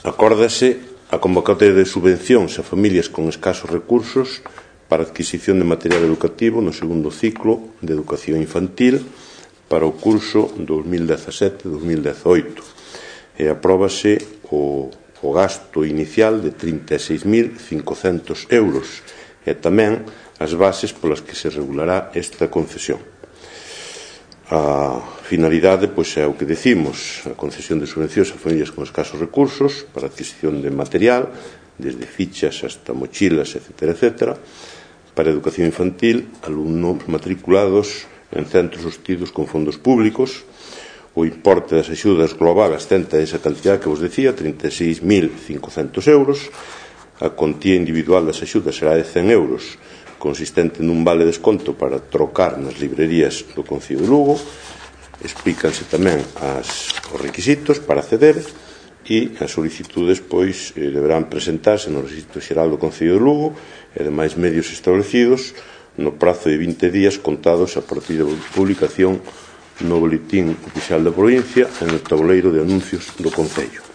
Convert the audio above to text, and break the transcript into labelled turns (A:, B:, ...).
A: Acórdase a convocatoria de subvencións a familias con escasos recursos para a adquisición de material educativo no segundo ciclo de educación infantil para o curso 2017-2018 e apróbase o gasto inicial de 36.500 euros e tamén as bases polas que se regulará esta concesión. A finalidade é o que decimos, a concesión de subvencións a familias con escasos recursos para a adquisición de material, desde fichas hasta mochilas, etc., para a educación infantil, alumnos matriculados en centros sostidos con fondos públicos. O importe das axudas global ascende a esa cantidad que vos decía, 36.500 euros. A contía individual das axudas será de 100 euros, consistente nun vale desconto para trocar nas librerías do Concello de Lugo. Explícanse tamén os requisitos para acceder e as solicitudes deberán presentarse no Rexistro Xeral do Concello de Lugo e demais medios establecidos no prazo de 20 días contados a partir da publicación no Boletín Oficial da Provincia e no tabuleiro de anuncios do Concello.